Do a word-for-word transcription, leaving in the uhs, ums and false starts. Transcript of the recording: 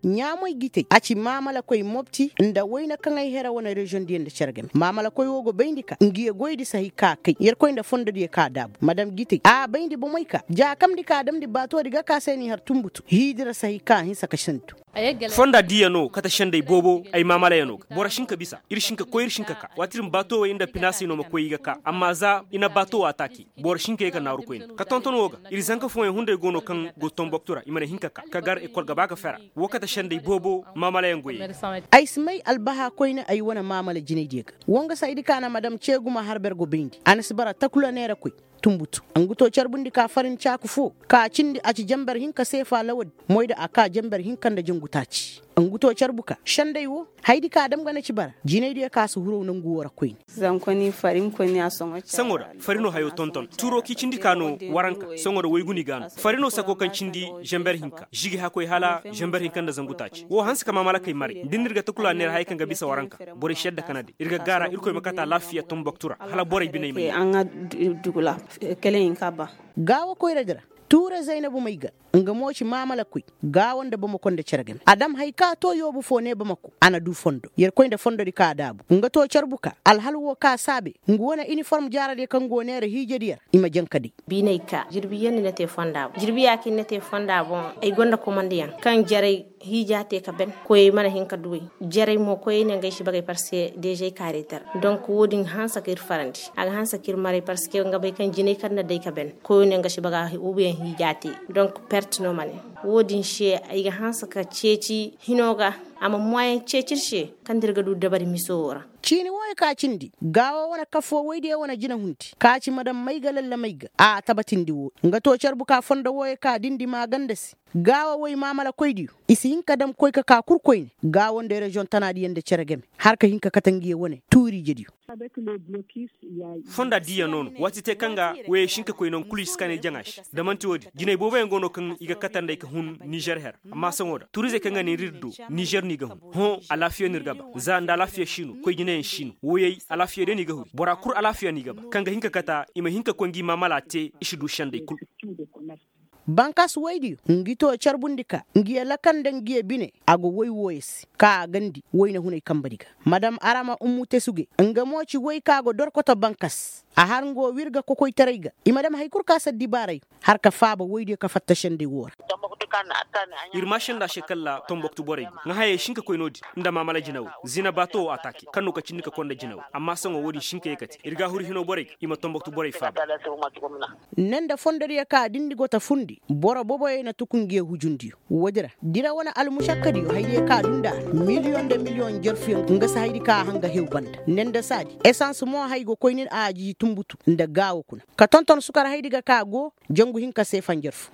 Ɲaamoy gitey a ci maamalakoy mopti nda wayna kaŋ ay here wane reziyoŋ diyaŋ nda cere game maamalakoy wo go bayndi ka ngi ye goydi sahi ka kay yerkoy nda fondo diyaŋ ka daabu madam gitey a bayndi bomey ka jaakamndi ka damndi baatoodi ga ka se n'i har tumbutu hiidira sahi ka hinsa ka sintu. Fonda diiya no kate sendey boobo ay maamalayaŋo ga boro si hin ka bisa ir si hin ka koy ir si hin ka ka waati ir ma baato wey nda pinaasey no ma koy i ga ka amma za i na baato wo ataake boro si hin ka ye ka naaru koyne ka tonton wo ga ir zanka fooyaŋ hunday go no kaŋ go tomboktu ra i mana hin ka ka ka gar ekol ga ba ga fera. Wo kate sendey boobo maamalayaŋ goyey. Ay si may albaha koyne ay wane maamala jinaydiyo ga. Woo nga saydi ka na madam ceegu ma har ber go bayndi a na si bara takula neera koy tumbutu. Nga too carbundi ka farin caaku foo ka cindi a ci jenber hinka seefa lawadi moyda a ka jenber hinka nda jangu taaci. Nga too carbu ka sendey woo haydi ka dam ga na ci bara jinaydiyo ka si huru nangu woo ra koyne. Saŋo da farino hayo tonton tuuro k'i cindi ka no waranka saŋo da waygu no i ga a no farino sako kaŋ cindi zenber hinka žigi hakoy hala zenber hinka nda zangu taaci woo hanse ka maamalakey maray da ni ir ga takula neera hayey kaŋ ga bisa waranka borey si yadda kana day ir ga gaara irkoy ma kate alaafiya tomboktu ra hala borey biney ma yee. Gaawo koyradi ra tuure zaynabu may ga nga mo ci maamalakoy gaawo nda bamako nda cere game a dam hay ka too yoobu foo ne bamako a na duu fondo yerkoy nda fondodi ka a daabu nga too carbu ka alhal woo ka saabe nga wane iniform jaaradiyo kaŋ go neera hiijadiyo ra i ma janka day. Biiney ka jirbiyaŋ ni na te fonda boŋ jirbiyaa kaŋ ni na te fonda boŋ ay gonda komandiyaŋ kaŋ jaray hiijaa te ka ben koyey mana hin ka duwey. Jaray mo koyey ne nga ay si bagay parske deeza ay kaareetar donk woo din ga hanse ka ir farandi a ga hanse ka ir maray parske nga bay kaŋ jinay kaŋ na day ka ben koyey ne nga si bagay ubiyaŋ hiijaa te. Donk pert no ma ne woo din se ay ga hanse ka ceeci hino ga a ma moyen ceeci ir se kaŋ da ir ga du dabari miso woo ra. Ciini wooyo ka cindi gaawo wane kafoo woydiyo wane jinahundi ka ci madam may ga lalla may ga a tabatindi woo nga too carbu ka fondo wooyo ka dindi maaganda se gaawo woy maamalakoydiyo i si hin ka dam koy ka ka kul koyne gaawo nda reziyoŋ tanaadiyo nda cere game har ka hin ka kate ngiyo wane tuuriijediyo. Fonda diiya no no waati te kaŋ ga woyey si hin ka koy nangu kul i si kaanay jaŋa se da man'ti woo din jinay booboyaŋ go no kaŋ i ga kate nd'ey ka hun nizer her amma saŋo da turizey kaŋ ga ne ir ir do nizer no i ga hun hõ alaafiya no ir ga ba za nda alaafiya si no koy jinayaŋ si no woyey alaafiya day no i ga huri bora kul alaafiya no i ga ba kaŋ ga hin ka kate i ma hin ka koy ngi maamala te i si du sendey kul. Bankas woydiyo ngi too carbundi ka ngiyo lakanda ngiyo bine a go woy wooyo se ka a gandi woyne hunay kambadi ga madam arama ummu tesuge nga mo ci woy ka go dorkoto bankas a har nga woo wir ga kokoytaray ga i ma dam hari kul ka si addibaaray har ka faaba woydiyo ka fatta sendey woo ra. Ir maasanda se kalla tomboktu borey go ŋa hayey si hin ka koy no-din nda maamala jinawey zina baato woo ataake kaŋ no ka cindi ka konda jinawey amma saŋo woo-din si hin ka ye ka te ir ga a huru hinoo borey ga i ma tomboktu borey faaba. Ne nda fondodiyo ka dindi go ta fundi boro boboyey na tuku ngiyo hujundiyo woodi ra dira wane almušakkadiyo haydiyo ka du nda a ra miliyoŋ nda miliyoŋ jerfuyaŋ nga si haydi ka a hanga hew banda ne nda saadi esans mo hay go koy nin a ajiiji tumbutu nda gaawo kuna ka tonton sukar haydi ga ka go jangu hinka se fanjar fo.